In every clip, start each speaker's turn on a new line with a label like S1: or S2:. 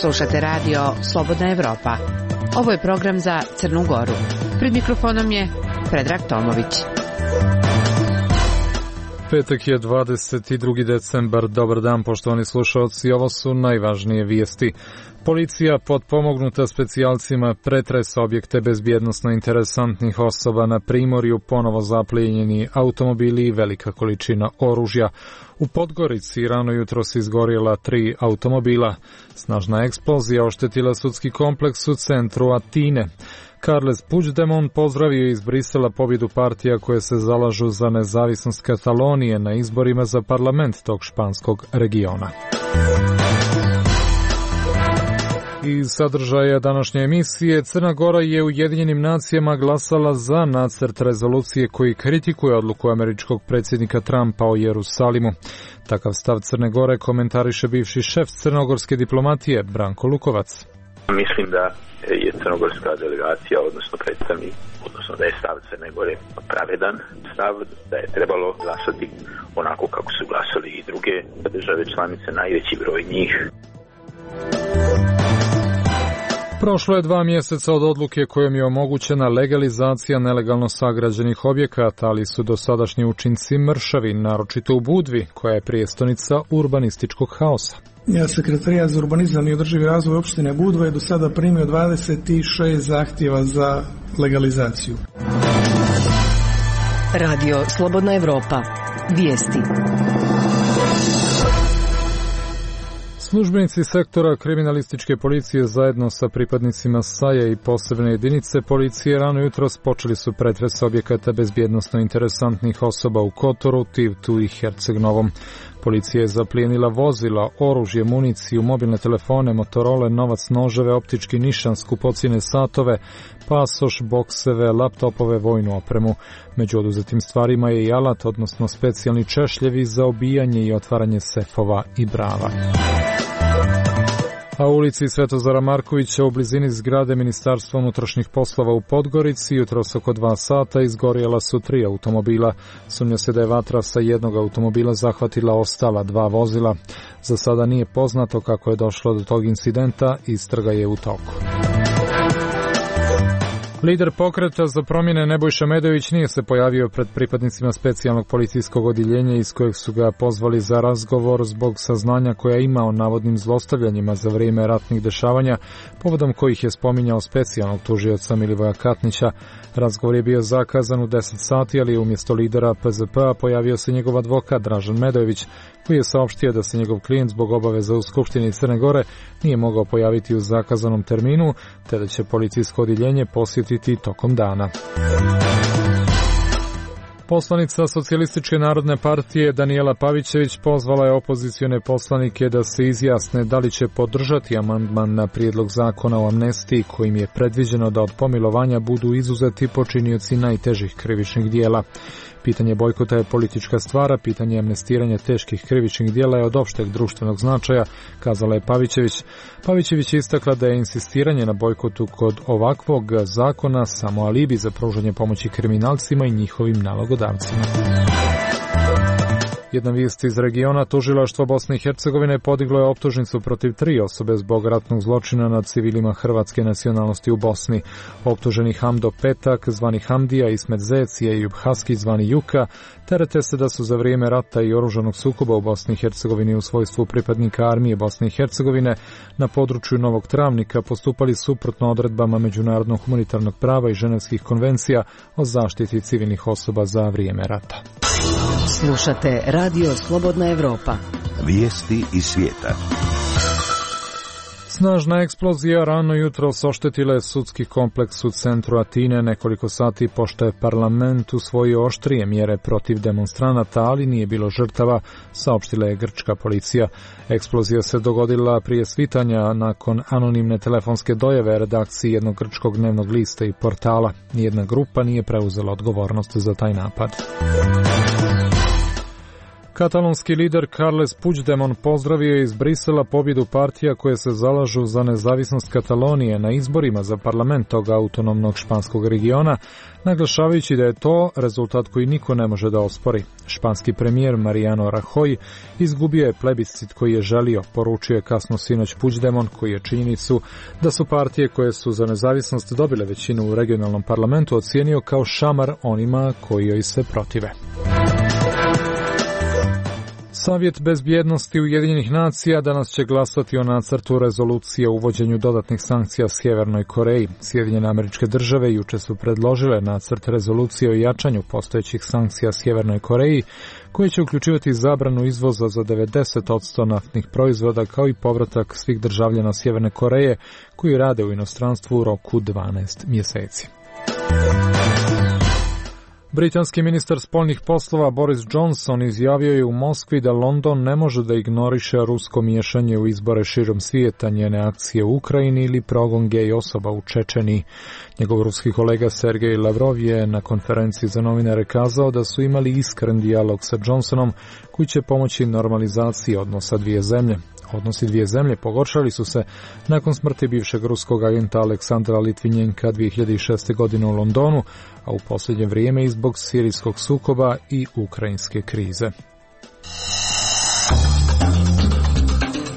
S1: Slušate radio Slobodna Evropa. Ovo je program za Crnu Goru. Pred mikrofonom je Predrag Tomović.
S2: Petak je 22. decembar. Dobar dan, poštovani slušalci. Ovo su najvažnije vijesti. Policija potpomognuta specijalcima pretresa objekte bezbjednosno interesantnih osoba na Primorju, ponovo zaplijenjeni automobili i velika količina oružja. U Podgorici rano jutros izgorjela 3 automobila. Snažna eksplozija oštetila sudski kompleks u centru Atine. Carles Puigdemont pozdravio iz Brisela pobjedu partija koje se zalažu za nezavisnost Katalonije na izborima za parlament tog španskog regiona. Iz sadržaja današnje emisije, Crna Gora je u Ujedinjenim nacijama glasala za nacrt rezolucije koji kritikuje odluku američkog predsjednika Trumpa o Jerusalimu. Takav stav Crne Gore komentariše bivši šef crnogorske diplomatije Branko Lukovac.
S3: Mislim da je crnogorska delegacija, odnosno predstavnik, odnosno da je stav Crne Gore pravedan stav, da je trebalo glasati onako kako su glasali i druge države članice, najveći broj njih.
S2: Prošlo je 2 mjeseca od odluke kojom je omogućena legalizacija nelegalno sagrađenih objekata, ali su dosadašnji učinci mršavi, naročito u Budvi, koja je prijestolnica urbanističkog haosa.
S4: Sekretarijat za urbanizam i održivi razvoj opštine Budva je do sada primio 26 zahtjeva za legalizaciju.
S5: Radio Slobodna Evropa. Vijesti.
S2: Službenici sektora kriminalističke policije zajedno sa pripadnicima SAJ-a i posebne jedinice policije rano jutros počeli su pretres objekata bezbjednosno interesantnih osoba u Kotoru, Tivtu i Herceg-Novom. Policija je zaplijenila vozila, oružje, municiju, mobilne telefone, Motorola, novac, noževe, optički nišan, skupocjene satove, pasoš, bokseve, laptopove, vojnu opremu. Među oduzetim stvarima je i alat, odnosno specijalni češljevi za obijanje i otvaranje sefova i brava. A u ulici Svetozara Markovića u blizini zgrade Ministarstva unutrašnjih poslova u Podgorici jutros oko 2 sata izgorjela su 3 automobila. Sumnja se da je vatra sa jednog automobila zahvatila ostala 2 vozila. Za sada nije poznato kako je došlo do tog incidenta, istraga je u toku. Lider pokreta za promjene Nebojša Medović nije se pojavio pred pripadnicima specijalnog policijskog odjeljenja iz kojeg su ga pozvali za razgovor zbog saznanja koja ima o navodnim zlostavljanjima za vrijeme ratnih dešavanja, povodom kojih je spominjao specijalnog tužioca Milivoja Katnića. Razgovor je bio zakazan u 10 sati, ali umjesto lidera PZP-a pojavio se njegov advokat Dražen Medojević, koji je saopštio da se njegov klijent zbog obaveza u Skupštini Crne Gore nije mogao pojaviti u zakazanom terminu, te da će policijsko odjeljenje posjetiti tokom dana. Poslanica Socijalističke narodne partije Danijela Pavićević pozvala je opozicione poslanike da se izjasne da li će podržati amandman na prijedlog zakona o amnestiji kojim je predviđeno da od pomilovanja budu izuzeti počinioci najtežih krivičnih dijela. Pitanje bojkota je politička stvar, pitanje amnestiranja teških krivičnih djela je od opšteg društvenog značaja, kazala je Pavićević. Pavićević je istakla da je insistiranje na bojkotu kod ovakvog zakona samo alibi za pružanje pomoći kriminalcima i njihovim nalogodavcima. Jedna vijest iz regiona, tužilaštvo Bosne i Hercegovine podiglo je optužnicu protiv 3 osobe zbog ratnog zločina nad civilima hrvatske nacionalnosti u Bosni. Optuženi Hamdo Petak, zvani Hamdija, Ismet Zec i Ejub Haski, zvani Juka, terete se da su za vrijeme rata i oružanog sukoba u Bosni i Hercegovini u svojstvu pripadnika armije Bosne i Hercegovine na području Novog Travnika postupali suprotno odredbama međunarodnog humanitarnog prava i ženevskih konvencija o zaštiti civilnih osoba za vrijeme rata.
S5: Slušate Radio Slobodna Evropa.
S6: Vijesti iz svijeta.
S2: Snažna eksplozija rano jutros oštetila je sudski kompleks u centru Atine nekoliko sati pošto je parlament usvojio oštrije mjere protiv demonstranata, ali nije bilo žrtava, saopštila je grčka policija. Eksplozija se dogodila prije svitanja nakon anonimne telefonske dojave redakciji jednog grčkog dnevnog lista i portala. Nijedna grupa nije preuzela odgovornost za taj napad. Katalonski lider Carles Puigdemont pozdravio je iz Brisela pobjedu partija koje se zalažu za nezavisnost Katalonije na izborima za parlament tog autonomnog španskog regiona, naglašavajući da je to rezultat koji niko ne može da ospori. Španski premijer Mariano Rajoy izgubio je plebiscit koji je želio, poručio je kasno sinoć Puigdemont, koji je činjenicu da su partije koje su za nezavisnost dobile većinu u regionalnom parlamentu ocijenio kao šamar onima koji joj se protive. Savjet bezbjednosti Ujedinjenih nacija danas će glasati o nacrtu rezolucije o uvođenju dodatnih sankcija Sjevernoj Koreji. Sjedinjene Američke Države juče su predložile nacrt rezolucije o jačanju postojećih sankcija Sjevernoj Koreji, koje će uključivati zabranu izvoza za 90% naftnih proizvoda, kao i povratak svih državljana Sjeverne Koreje koji rade u inostranstvu u roku 12 mjeseci. Britanski ministar spoljnih poslova Boris Johnson izjavio je u Moskvi da London ne može da ignoriše rusko miješanje u izbore širom svijeta, njene akcije u Ukrajini ili progon gej osoba u Čečeniji. Njegov ruski kolega Sergej Lavrov je na konferenciji za novinare kazao da su imali iskren dijalog sa Johnsonom koji će pomoći normalizaciji odnosa dvije zemlje. Odnosi dvije zemlje pogoršali su se nakon smrti bivšeg ruskog agenta Aleksandra Litvinjenka 2006. godine u Londonu, a u posljednje vrijeme i zbog sirijskog sukoba i ukrajinske krize.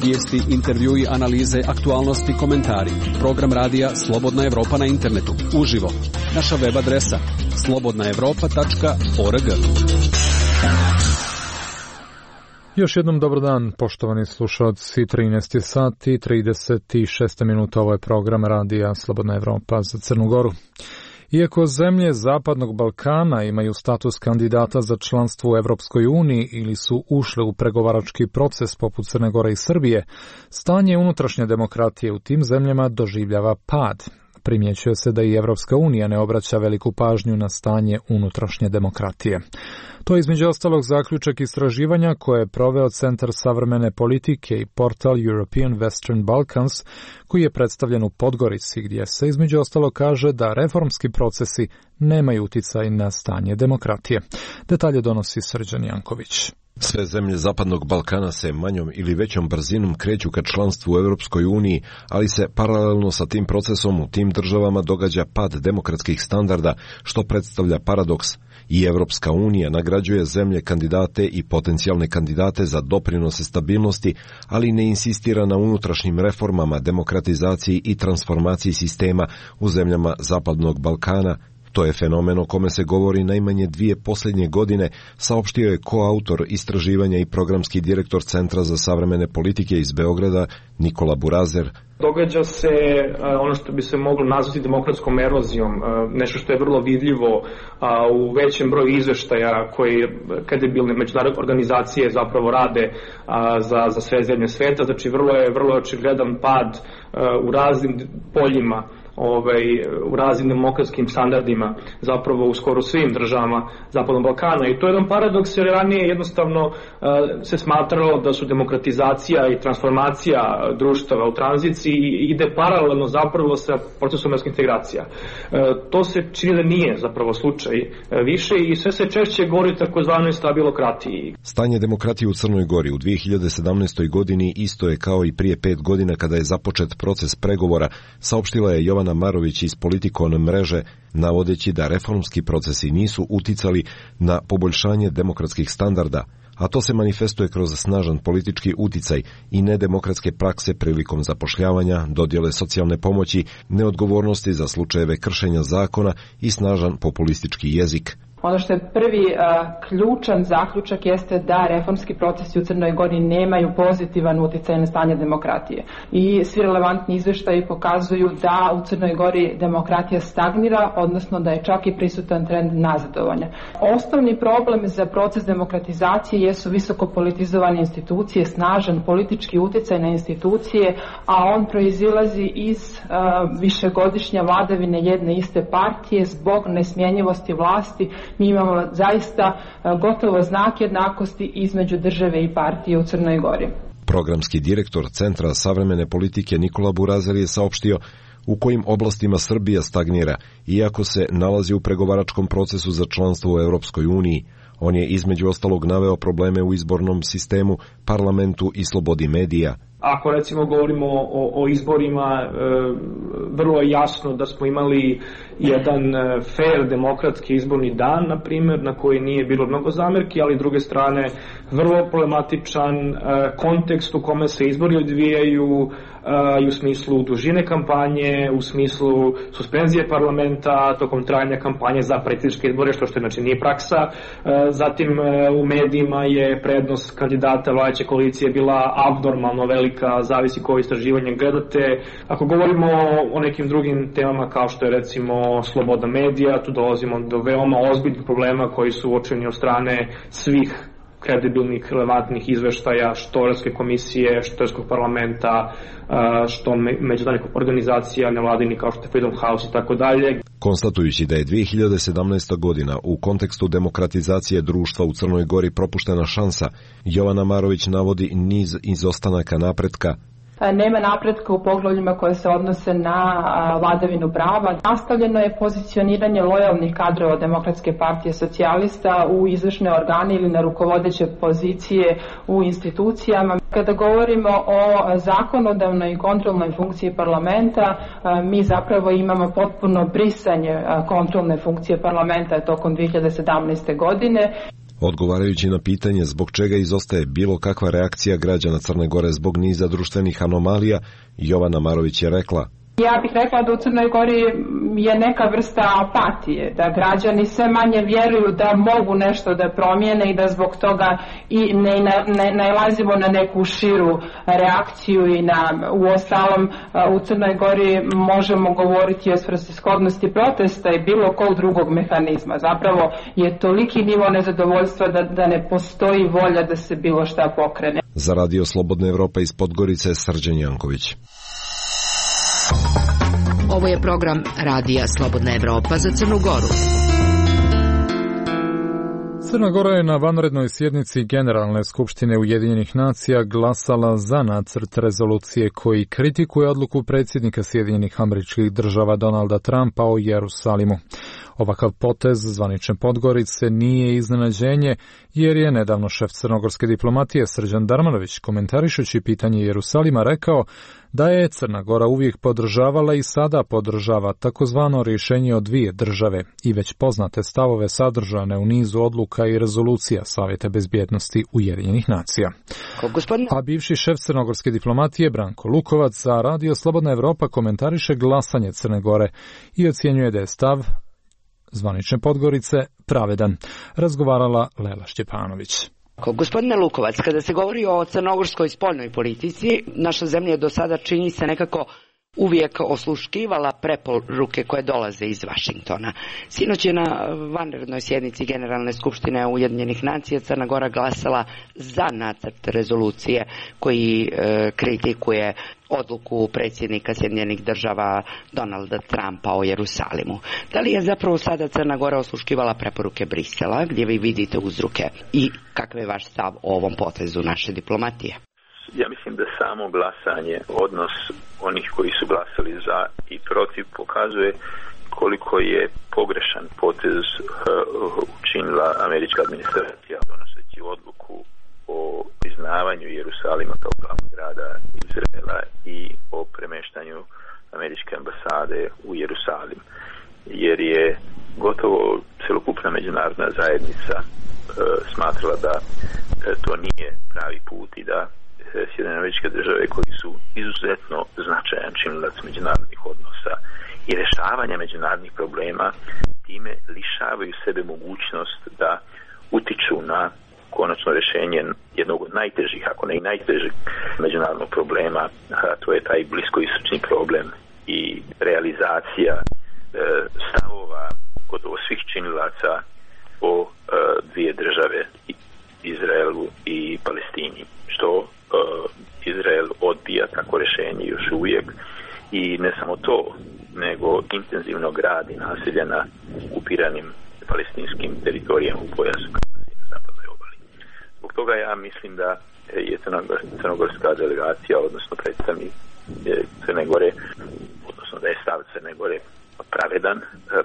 S7: Vijesti, intervjui, analize, aktualnosti, komentari. Program radija Slobodna Evropa na internetu. Uživo. Naša web adresa slobodnaevropa.org.
S2: Još jednom dobar dan, poštovani slušalci, 13 sati, 36 minuta, ovo je program radija Slobodna Evropa za Crnu Goru. Iako zemlje Zapadnog Balkana imaju status kandidata za članstvo u Evropskoj uniji ili su ušle u pregovarački proces poput Crne Gore i Srbije, stanje unutrašnje demokratije u tim zemljama doživljava pad. Primjećuje se da i Evropska unija ne obraća veliku pažnju na stanje unutrašnje demokratije. To je između ostalog zaključak istraživanja koje je proveo Centar savremene politike i portal European Western Balkans, koji je predstavljen u Podgorici, gdje se između ostalog kaže da reformski procesi nemaju uticaj na stanje demokratije. Detalje donosi Srđan Janković.
S8: Sve zemlje Zapadnog Balkana se manjom ili većom brzinom kreću ka članstvu u Europskoj uniji, ali se paralelno sa tim procesom u tim državama događa pad demokratskih standarda, što predstavlja paradoks. I Evropska unija nagrađuje zemlje kandidate i potencijalne kandidate za doprinose stabilnosti, ali ne insistira na unutrašnjim reformama, demokratizaciji i transformaciji sistema u zemljama Zapadnog Balkana. To je fenomen o kome se govori najmanje 2 posljednje godine, saopštio je koautor istraživanja i programski direktor Centra za savremene politike iz Beograda, Nikola Burazer.
S9: Događa se ono što bi se moglo nazvati demokratskom erozijom, nešto što je vrlo vidljivo u većem broju izveštaja koji kredibilne međunarodne organizacije zapravo rade za sve zemlje sveta. Znači vrlo je očigledan pad u raznim poljima, u raznim demokratskim standardima, zapravo u skoro svim državama Zapadnog Balkana. I to je jedan paradoks, jer ranije jednostavno se smatralo da su demokratizacija i transformacija društava u tranziciji ide paralelno zapravo sa procesom evropskih integracija. To se čini da nije zapravo slučaj više i sve se češće govori o takozvanoj stabilokratiji.
S8: Stanje demokratije u Crnoj Gori u 2017. godini isto je kao i prije 5 godina kada je započet proces pregovora, saopštila je Jovana Marović iz Politikon mreže, navodeći da reformski procesi nisu uticali na poboljšanje demokratskih standarda, a to se manifestuje kroz snažan politički uticaj i nedemokratske prakse prilikom zapošljavanja, dodjele socijalne pomoći, neodgovornosti za slučajeve kršenja zakona i snažan populistički jezik.
S10: Ono što je prvi ključan zaključak jeste da reformski procesi u Crnoj Gori nemaju pozitivan utjecaj na stanje demokratije. I svi relevantni izvještaji pokazuju da u Crnoj Gori demokratija stagnira, odnosno da je čak i prisutan trend nazadovanja. Osnovni problem za proces demokratizacije jesu visoko politizovane institucije, snažan politički utjecaj na institucije, a on proizilazi iz višegodišnje vladavine jedne iste partije zbog nesmjenjivosti vlasti. Mi imamo zaista gotovo znak jednakosti između države i partije u Crnoj Gori.
S8: Programski direktor Centra savremene politike Nikola Burazer je saopštio u kojim oblastima Srbija stagnira, iako se nalazi u pregovaračkom procesu za članstvo u Europskoj uniji. On je između ostalog naveo probleme u izbornom sistemu, parlamentu i slobodi medija.
S9: Ako recimo govorimo o izborima, vrlo je jasno da smo imali jedan fair demokratski izborni dan, na primjer, na koji nije bilo mnogo zamerki, ali s druge strane vrlo problematičan kontekst u kome se izbori odvijaju i u smislu dužine kampanje, u smislu suspenzije parlamenta tokom trajanja kampanje za predsjedničke izbore, što znači nije praksa. Zatim u medijima je prednost kandidata vladajuće koalicije bila abnormalno velika, zavisi koje istraživanje gledate. Ako govorimo o nekim drugim temama kao što je recimo sloboda medija, tu dolazimo do veoma ozbiljnih problema koji su uočeni od strane svih kredibilnih, relevantnih izveštaja, što Evropske komisije, što Evropskog parlamenta, što međunarodnih organizacija, nevladini kao što je Freedom House i tako dalje.
S8: Konstatujući da je 2017. godina u kontekstu demokratizacije društva u Crnoj Gori propuštena šansa, Jovana Marović navodi niz izostanaka napretka.
S10: Nema napretka u poglavljima koje se odnose na vladavinu prava. Nastavljeno je pozicioniranje lojalnih kadrova Demokratske partije socijalista u izvršne organe ili na rukovodeće pozicije u institucijama. Kada govorimo o zakonodavnoj i kontrolnoj funkciji parlamenta, mi zapravo imamo potpuno brisanje kontrolne funkcije parlamenta tokom 2017. godine.
S8: Odgovarajući na pitanje zbog čega izostaje bilo kakva reakcija građana Crne Gore zbog niza društvenih anomalija, Jovana Marović je rekla:
S10: Ja bih rekla da u Crnoj Gori je neka vrsta apatije, da građani sve manje vjeruju da mogu nešto da promijene i da zbog toga i ne nalazimo na neku širu reakciju i u ostalom u Crnoj Gori možemo govoriti o svrsishodnosti protesta i bilo kog drugog mehanizma. Zapravo je toliki nivo nezadovoljstva da ne postoji volja da se bilo šta pokrene.
S8: Za Radio Slobodna Evropa iz Podgorice, Srđan Janković.
S5: Ovo je program Radija Slobodna Evropa za Crnu Goru.
S2: Crna Gora je na vanrednoj sjednici Generalne skupštine Ujedinjenih nacija glasala za nacrt rezolucije koji kritikuje odluku predsjednika Sjedinjenih Američkih Država Donalda Trumpa o Jerusalimu. Ovakav potez zvanične Podgorice nije iznenađenje, jer je nedavno šef crnogorske diplomatije Srđan Darmanović, komentarišući pitanje Jerusalima, rekao da je Crna Gora uvijek podržavala i sada podržava takozvano rješenje o dvije države i već poznate stavove sadržane u nizu odluka i rezolucija Savjeta bezbjednosti Ujedinjenih nacija. A bivši šef crnogorske diplomatije Branko Lukovac za Radio Slobodna Evropa komentariše glasanje Crne Gore i ocjenjuje da je stav zvanične Podgorice pravedan. Razgovarala Lela Šćepanović.
S11: Gospodine Lukovac, kada se govori o crnogorskoj spoljnoj politici, naša zemlja do sada čini se nekako uvijek osluškivala preporuke koje dolaze iz Vašingtona. Sinoć je na vanrednoj sjednici Generalne skupštine Ujedinjenih nacija Crna Gora glasala za nacrt rezolucije koji kritikuje odluku predsjednika Sjedinjenih Država Donalda Trumpa o Jerusalimu. Da li je zapravo sada Crna Gora osluškivala preporuke Brisela, gdje vi vidite uzroke, i kakav je vaš stav o ovom potezu naše diplomatije?
S3: Ja mislim da samo glasanje, odnos onih koji su glasali za i protiv, pokazuje koliko je pogrešan potez učinila američka administracija donoseći odluku o priznavanju Jerusalima kao glavnog grada Izraela i o premeštanju američke ambasade u Jerusalim. Jer je gotovo celokupna međunarodna zajednica smatrala da to nije pravi put i da Sjedinjene Američke Države, koji su izuzetno značajan činilac međunarodnih odnosa i rješavanja međunarodnih problema, time lišavaju sebe mogućnost da utiču na konačno rješenje jednog od najtežih, ako ne i najtežih međunarodnog problema, a to je taj bliskoistočni problem i realizacija stavova gotovo svih činilaca o dvije države, Izraelu i Palestini, što Izrael odbija tako rješenje još uvijek, i ne samo to, nego intenzivno gradi naselja na okupiranim palestinskim teritorijama u pojasu na zapadnoj obali. Zbog toga ja mislim da je crnogorska delegacija, odnosno predstavnik Crne Gore, odnosno da je stav Crne Gore pravedan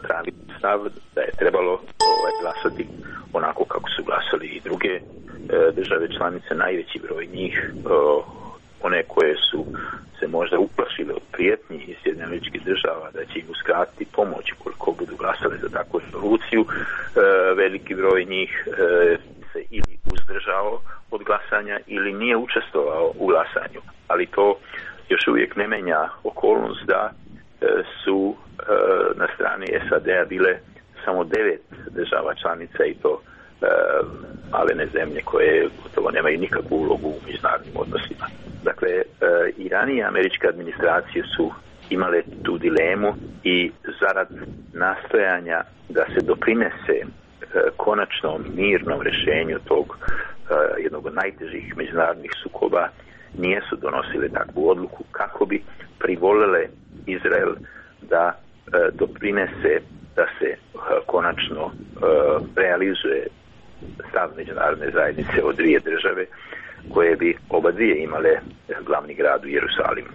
S3: pravi stav, da je trebalo glasati onako kako su glasali i druge države članice, najveći broj njih, one koje su se možda uplašile od prijetnji iz Sjedinjenih Američkih Država da će im uskratiti pomoć koliko budu glasali za takvu rezoluciju, veliki broj njih se ili uzdržao od glasanja ili nije učestvovao u glasanju, ali to još uvijek ne menja okolnost da su na strani SAD-a bile samo 9 država članica i to malene zemlje koje gotovo nemaju nikakvu ulogu u međunarodnim odnosima. Dakle, i ranije američke administracije su imale tu dilemu i zarad nastojanja da se doprinese konačnom mirnom rješenju tog jednog od najtežih međunarodnih sukoba nijesu donosile takvu odluku kako bi privolile Izrael da doprinese da se konačno realizuje stav međunarodne zajednice od dvije države koje bi oba dvije imale glavni grad u Jerusalimu.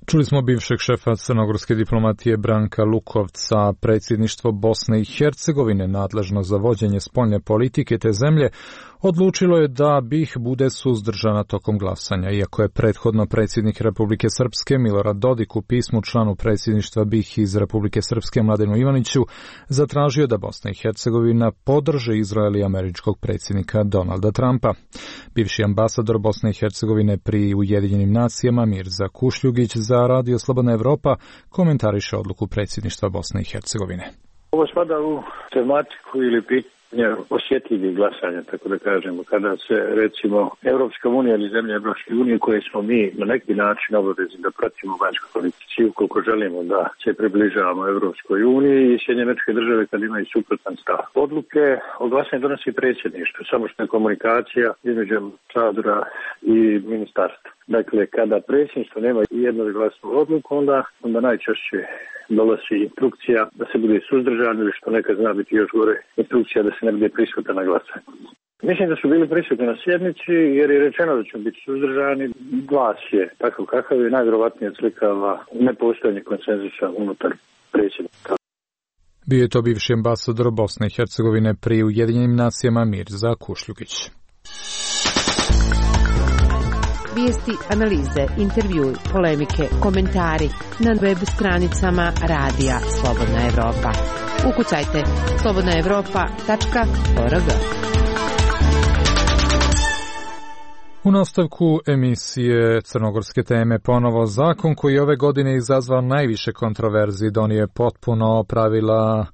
S2: Čuli smo bivšeg šefa crnogorske diplomatije Branka Lukovca. Predsjedništvo Bosne i Hercegovine, nadležno za vođenje spoljne politike te zemlje, odlučilo je da BiH bude suzdržana tokom glasanja, iako je prethodno predsjednik Republike Srpske Milorad Dodik u pismu članu predsjedništva BiH iz Republike Srpske Mladenu Ivaniću zatražio da Bosna i Hercegovina podrže Izrael i američkog predsjednika Donalda Trumpa. Bivši ambasador Bosne i Hercegovine pri Ujedinjenim nacijama Mirza Kušljugić za Radio Slobodna Evropa komentariše odluku predsjedništva Bosne i Hercegovine.
S12: Ovo spada u tematiku ili pitanje osjetljivih glasanja, tako da kažemo, kada se recimo Europska unija ili zemlje Europske unije koje smo mi na neki način obavezni da pratimo vanjsku politiku ukoliko želimo da se približavamo Europskoj uniji i Sjedinjene Američke Države kad imaju suprotan stav. Odluke o glasanju donosi predsjedništvo, samo što je komunikacija između ambasadora i ministarstva. Dakle, kada predsjedništvo nema jednoglasnu odluku, onda najčešće dolazi instrukcija da se bude suzdržan ili što nekad zna biti još gore, instrukcija da se ne bude prisutan na glasanju. Mislim da su bili prisutni na sjednici jer je rečeno da će biti suzdržani. Glas je takav kakav je, najvjerovatnije odslikava nepostojanje konsenzusa unutar predsjednika.
S2: Bio je to bivši ambasador Bosne i Hercegovine pri Ujedinjenim nacijama Mirza Kušljugić.
S1: Vijesti, analize, intervjui, polemike, komentari na web stranicama Radija Slobodna Evropa. Ukucajte slobodnaevropa.org.
S2: U nastavku emisije Crnogorske teme ponovo zakon koji ove godine izazvao najviše kontroverzi donio potpuno pravila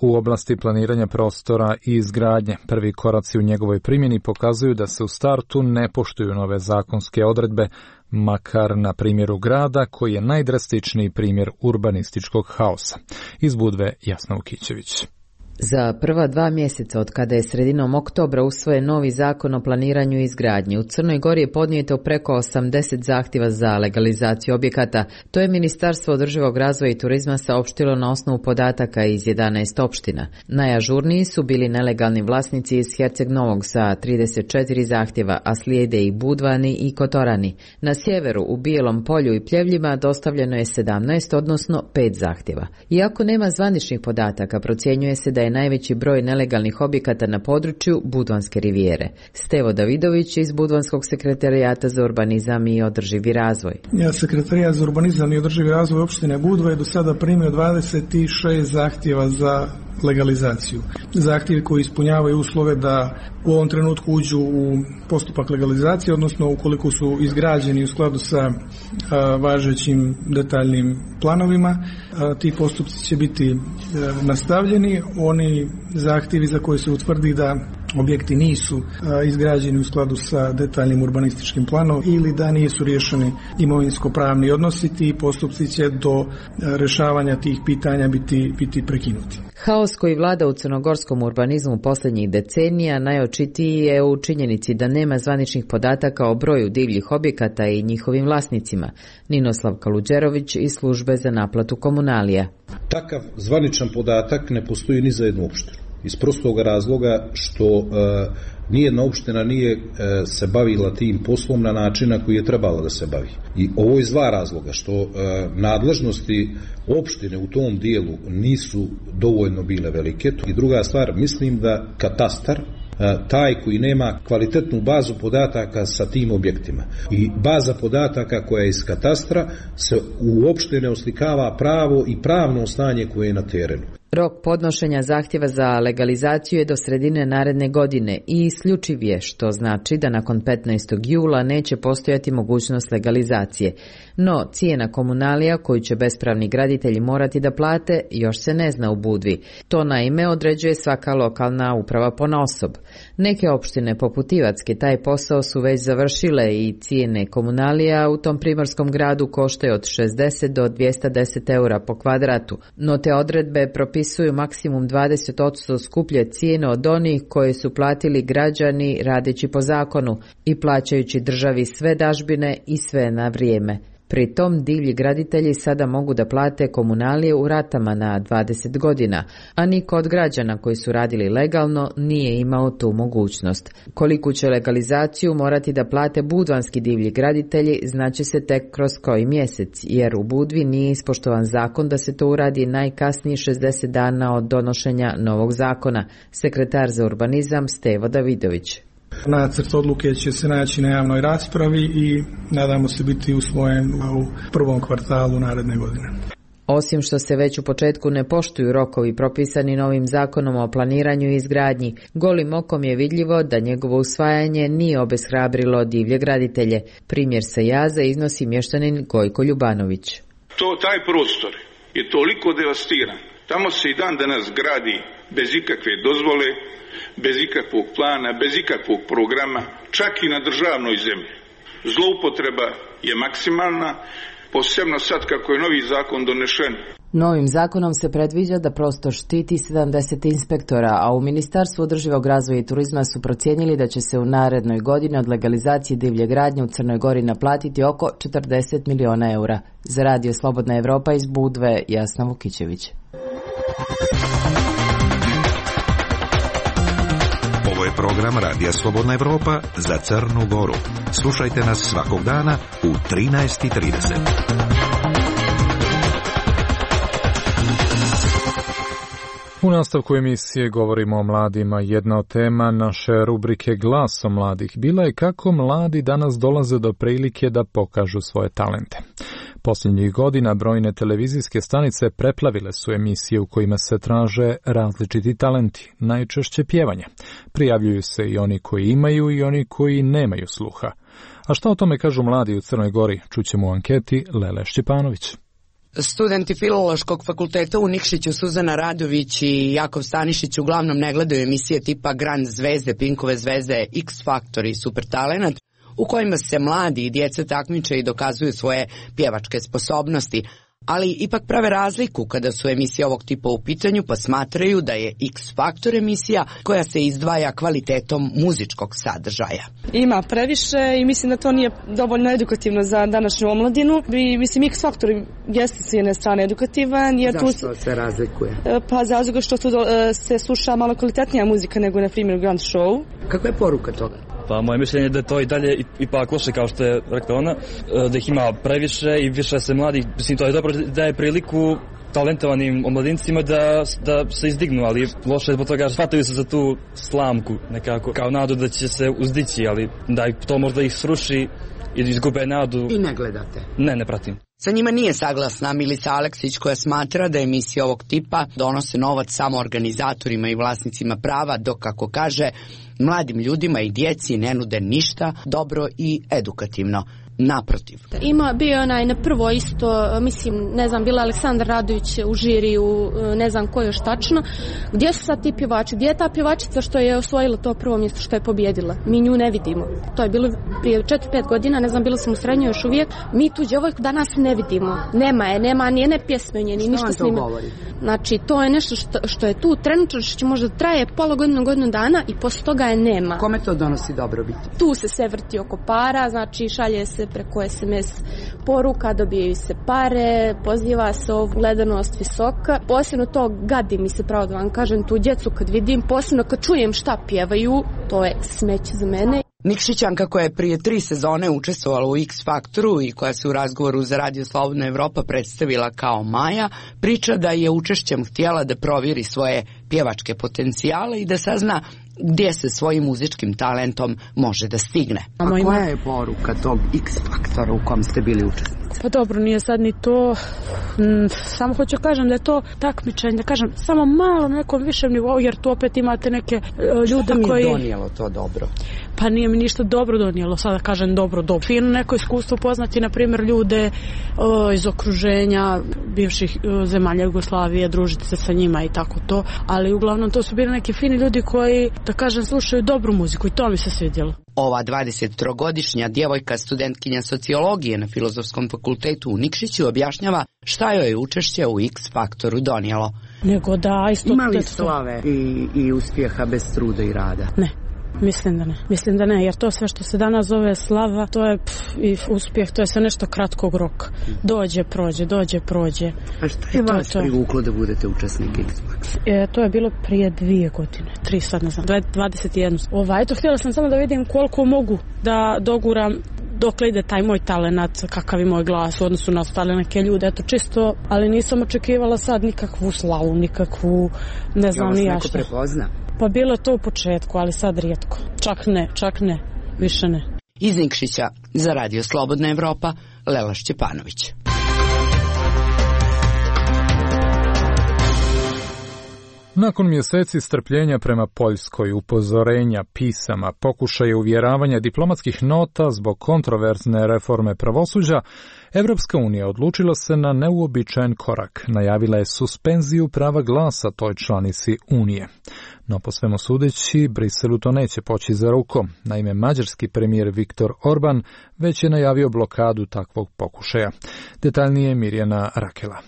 S2: u oblasti planiranja prostora i izgradnje. Prvi koraci u njegovoj primjeni pokazuju da se u startu ne poštuju nove zakonske odredbe, makar na primjeru grada koji je najdrastičniji primjer urbanističkog haosa. Iz Budve Jasna Vukićević.
S13: Za prva 2 mjeseca od kada je sredinom oktobra usvojen novi zakon o planiranju i izgradnji, u Crnoj Gori je podnijeto preko 80 zahtjeva za legalizaciju objekata. To je Ministarstvo održivog razvoja i turizma saopštilo na osnovu podataka iz 11 opština. Najažurniji su bili nelegalni vlasnici iz Herceg Novog sa 34 zahtjeva, a slijede i Budvani i Kotorani. Na sjeveru, u Bijelom Polju i Pljevljima dostavljeno je 17, odnosno 5 zahtjeva. Iako nema zvaničnih podataka, procjenjuje se da je najveći broj nelegalnih objekata na području Budvanske rivijere. Stevo Davidović iz Budvanskog sekretarijata za urbanizam i održivi razvoj.
S4: Sekretarijat za urbanizam i održivi razvoj opštine Budva je do sada primio 26 zahtjeva za legalizaciju. Zahtjevi koji ispunjavaju uslove da u ovom trenutku uđu u postupak legalizacije, odnosno ukoliko su izgrađeni u skladu sa važećim detaljnim planovima, ti postupci će biti nastavljeni. Oni zahtjevi za koje se utvrdi da objekti nisu izgrađeni u skladu sa detaljnim urbanističkim planom ili da nisu riješeni imovinsko-pravni odnosi, ti postupci će do rješavanja tih pitanja biti prekinuti.
S13: Haos koji vlada u crnogorskom urbanizmu posljednjih decenija najočitiji je u činjenici da nema zvaničnih podataka o broju divljih objekata i njihovim vlasnicima. Ninoslav Kaluđerović iz službe za naplatu komunalija.
S14: Takav zvaničan podatak ne postoji ni za jednu opštinu. iz prostog razloga što nijedna opština nije se bavila tim poslom na način na koji je trebala da se bavi. I ovo iz dva razloga, što nadležnosti opštine u tom dijelu nisu dovoljno bile velike. I druga stvar, mislim da katastar, taj koji nema kvalitetnu bazu podataka sa tim objektima. I baza podataka koja je iz katastra se uopšte ne oslikava pravo i pravno stanje koje je na terenu.
S13: Rok podnošenja zahtjeva za legalizaciju je do sredine naredne godine i isključiv je, što znači da nakon 15. jula neće postojati mogućnost legalizacije. No, cijena komunalija koju će bespravni graditelji morati da plate još se ne zna u Budvi. To naime određuje svaka lokalna uprava ponaosob. Neke opštine poput Ivacke taj posao su već završile i cijene komunalija u tom primorskom gradu koštaju od 60 do 210 eura po kvadratu. No te odredbe propisuju maksimum 20% skuplje cijene od onih koje su platili građani radeći po zakonu i plaćajući državi sve dažbine i sve na vrijeme. Pri tom divlji graditelji sada mogu da plate komunalije u ratama na 20 godina, a niko od građana koji su radili legalno nije imao tu mogućnost. Koliku će legalizaciju morati da plate budvanski divlji graditelji znaće se tek kroz koji mjesec, jer u Budvi nije ispoštovan zakon da se to uradi najkasnije 60 dana od donošenja novog zakona. Sekretar za urbanizam Stevo Davidović.
S4: Nacrt odluke će se naći na javnoj raspravi i nadamo se biti usvojen u prvom kvartalu naredne godine.
S13: Osim što se već u početku ne poštuju rokovi propisani novim zakonom o planiranju i izgradnji, golim okom je vidljivo da njegovo usvajanje nije obeshrabrilo divlje graditelje. Primjer sa Jaza iznosi mještanin Gojko Ljubanović.
S15: Taj prostor je toliko devastiran. Tamo se i dan danas gradi bez ikakve dozvole, bez ikakvog plana, bez ikakvog programa, čak i na državnoj zemlji. Zloupotreba je maksimalna, posebno sad kako je novi zakon donešen.
S13: Novim zakonom se predviđa da prostor štiti 70 inspektora, a u Ministarstvu održivog razvoja i turizma su procijenili da će se u narednoj godini od legalizacije divlje gradnje u Crnoj Gori naplatiti oko 40 miliona eura. Za Radio Slobodna Evropa iz Budve, Jasna Vukićević.
S6: Ovo je program Radija Slobodna Evropa za Crnu Goru. Slušajte nas svakog dana u 13:30.
S2: U nastavku emisije govorimo o mladima. Jedna od tema naše rubrike Glasom mladih bila je kako mladi danas dolaze do prilike da pokažu svoje talente. Posljednjih godina brojne televizijske stanice preplavile su emisije u kojima se traže različiti talenti, najčešće pjevanje. Prijavljuju se i oni koji imaju i oni koji nemaju sluha. A šta o tome kažu mladi u Crnoj Gori? Čućemo u anketi Lele Šćepanović.
S11: Studenti Filološkog fakulteta u Nikšiću Suzana Radović i Jakov Stanišić uglavnom ne gledaju emisije tipa Grand zvezde, Pinkove zvezde, X Factor i Super Talenat, u kojima se mladi i djeca takmiče i dokazuju svoje pjevačke sposobnosti, ali ipak prave razliku kada su emisije ovog tipa u pitanju, pa smatraju da je X Factor emisija koja se izdvaja kvalitetom muzičkog sadržaja.
S16: Ima previše i mislim da to nije dovoljno edukativno za današnju omladinu. I mislim X Factor jeste s jedne strane edukativan. Jer
S11: zašto tu se razlikuje?
S16: Pa zato što tu se sluša malo kvalitetnija muzika nego na primjer Grand Show.
S11: Kakva je poruka toga?
S17: Pa moje mišljenje je da je to i dalje ipak loše, kao što je rekla ona, da ih ima previše i više se mladih, mislim to je dobro da je priliku talentovanim omladincima da se izdignu, ali loše je zbog toga shvataju se za tu slamku nekako, kao nadu da će se uzdići, ali da to možda ih sruši i izgube nadu.
S11: I ne gledate?
S17: Ne pratim.
S11: Sa njima nije saglasna Milica Aleksić, koja smatra da emisije ovog tipa donose novac samo organizatorima i vlasnicima prava, dok, kako kaže, mladim ljudima i djeci ne nude ništa dobro i edukativno. Naprotiv.
S18: Bio onaj na prvo isto, mislim, ne znam, bila Aleksandar Radović u žiriju, ne znam ko još tačno. Gdje su sad ti pjevači? Gdje je ta pjevačica što je osvojila to prvo mjesto, što je pobjedila? Mi nju ne vidimo. To je bilo prije 4-5 godina, ne znam, bila sam u srednjoj još uvijek. Mi tu djevojku danas ne vidimo. Nema nijedne pjesme, ni ništa snima. Znači, to je nešto što je tu trenutno, što možda traje pola godinu dana i poslije toga je nema.
S11: Kome to donosi dobrobit?
S18: Tu se sve vrti oko para, znači šalje se se preko SMS poruka, dobijaju se pare, poziva se gledanost visoka. Posebno to gadi mi se, pravo da vam kažem, tu djecu kad vidim, posebno kad čujem šta pjevaju, to je smeće za mene.
S11: Nikšićanka koja je prije 3 sezone učestvovala u X Faktoru i koja se u razgovoru za Radio Slobodna Evropa predstavila kao Maja, priča da je učešćem htjela da provjeri svoje pjevačke potencijale i da sazna gdje se svojim muzičkim talentom može da stigne. A koja je poruka tog X Faktora u kom ste bili učesnici?
S16: Pa dobro, nije sad ni to, samo hoću kažem da je to takmičenje, da kažem, samo malo na nekom višem nivou, jer tu opet imate neke ljude koji...
S11: Šta mi je donijelo to dobro?
S16: Pa nije mi ništa dobro donijelo, sada kažem dobro. Fino neko iskustvo poznati, na primjer, ljude iz okruženja bivših zemalja Jugoslavije, družiti se sa njima i tako to, ali uglavnom to su bili neki fini ljudi koji, da kažem, slušaju dobru muziku i to mi se svidjelo.
S11: Ova 23-godišnja djevojka, studentkinja sociologije na Filozofskom fakultetu u Nikšiću, objašnjava šta joj je učešće u X Faktoru donijelo.
S16: Nego da isto...
S11: Ima li slave i uspjeha bez truda i rada?
S16: Ne. Mislim da ne, jer to sve što se danas zove slava, to je i uspjeh, to je sve nešto kratkog roka. Dođe, prođe.
S11: A što je vas privuklo da budete učesnik X-Faktora?
S16: To je bilo prije 2 godine, 3 sad ne znam, 21. Eto, htjela sam samo da vidim koliko mogu da doguram dokle ide taj moj talenat, kakav je moj glas u odnosu na ostale neke ljude, eto čisto, ali nisam očekivala sad nikakvu slavu, nikakvu, ne znam ni ja šta.
S11: Neko prepozna?
S16: Pa bilo je to u početku, ali sad rijetko. Čak ne, više ne.
S11: Iz Nikšića za Radio Slobodna Evropa, Lela Šćepanović.
S2: Nakon mjeseci strpljenja prema Poljskoj, upozorenja, pisama, pokušaja uvjeravanja diplomatskih nota zbog kontroverzne reforme pravosuđa, Evropska unija odlučila se na neuobičajen korak. Najavila je suspenziju prava glasa toj članici Unije. No po svemu sudeći, Briselu to neće poći za rukom. Naime, mađarski premijer Viktor Orban već je najavio blokadu takvog pokušaja. Detaljnije Mirjana Rakela.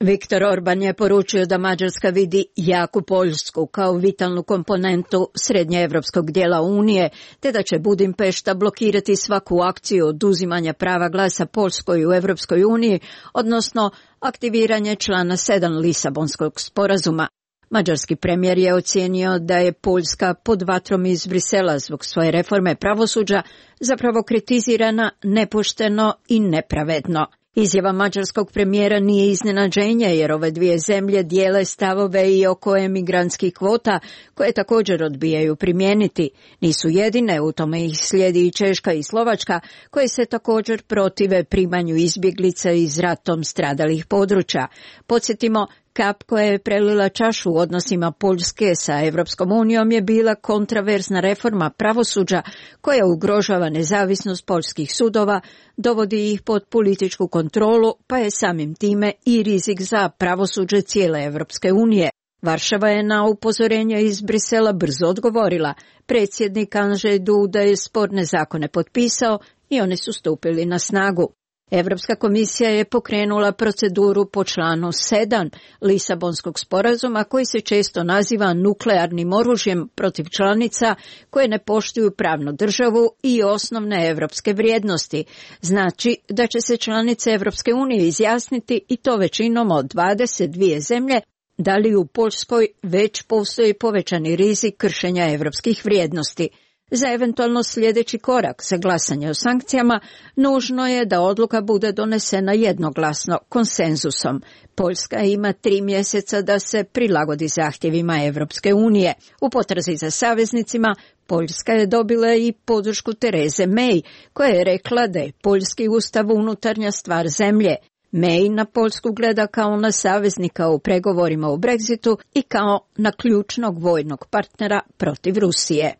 S19: Viktor Orban je poručio da Mađarska vidi jaku Poljsku kao vitalnu komponentu srednjeevropskog dijela Unije, te da će Budimpešta blokirati svaku akciju oduzimanja prava glasa Poljskoj u Evropskoj uniji, odnosno aktiviranje člana 7 Lisabonskog sporazuma. Mađarski premijer je ocijenio da je Poljska pod vatrom iz Brisela zbog svoje reforme pravosuđa zapravo kritizirana nepošteno i nepravedno. Izjava mađarskog premijera nije iznenađenje jer ove dvije zemlje dijele stavove i oko emigrantskih kvota koje također odbijaju primijeniti. Nisu jedine, u tome ih slijedi i Češka i Slovačka koje se također protive primanju izbjeglica iz ratom stradalih područja. Podsjetimo, kap koja je prelila čašu u odnosima Poljske sa Evropskom unijom je bila kontraverzna reforma pravosuđa koja ugrožava nezavisnost poljskih sudova, dovodi ih pod političku kontrolu, pa je samim time i rizik za pravosuđe cijele Evropske unije. Varšava je na upozorenje iz Brisela brzo odgovorila. Predsjednik Andrzej Duda je sporne zakone potpisao i oni su stupili na snagu. Evropska komisija je pokrenula proceduru po članu 7 Lisabonskog sporazuma koji se često naziva nuklearnim oružjem protiv članica koje ne poštuju pravnu državu i osnovne evropske vrijednosti. Znači da će se članice Evropske unije izjasniti i to većinom od 22 zemlje da li u Poljskoj već postoji povećani rizik kršenja evropskih vrijednosti. Za eventualno sljedeći korak za glasanje o sankcijama nužno je da odluka bude donesena jednoglasno, konsenzusom. Poljska ima 3 mjeseca da se prilagodi zahtjevima Evropske unije. U potrazi za saveznicima Poljska je dobila i podršku Tereze May, koja je rekla da je poljski ustav unutarnja stvar zemlje. May na Poljsku gleda kao na saveznika u pregovorima o Brexitu i kao na ključnog vojnog partnera protiv Rusije.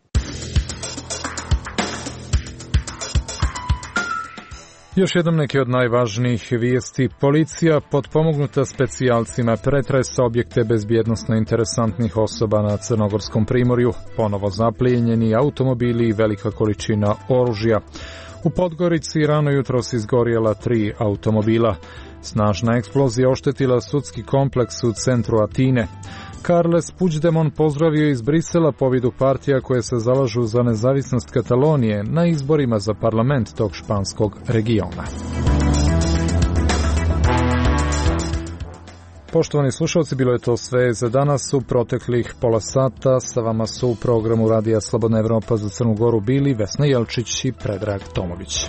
S2: Još jednom neke od najvažnijih vijesti. Policija potpomognuta specijalcima pretresa objekte bezbjednosno interesantnih osoba na Crnogorskom primorju, ponovo zaplijenjeni automobili i velika količina oružja. U Podgorici rano jutros izgorjela 3 automobila. Snažna eksplozija oštetila sudski kompleks u centru Atine. Carles Puigdemont pozdravio iz Brisela pobjedu partija koje se zalažu za nezavisnost Katalonije na izborima za parlament tog španskog regiona. Poštovani slušalci, bilo je to sve za danas. U proteklih pola sata sa vama su u programu Radija Slobodna Evropa za Crnu Goru bili Vesna Jelčić i Predrag Tomović.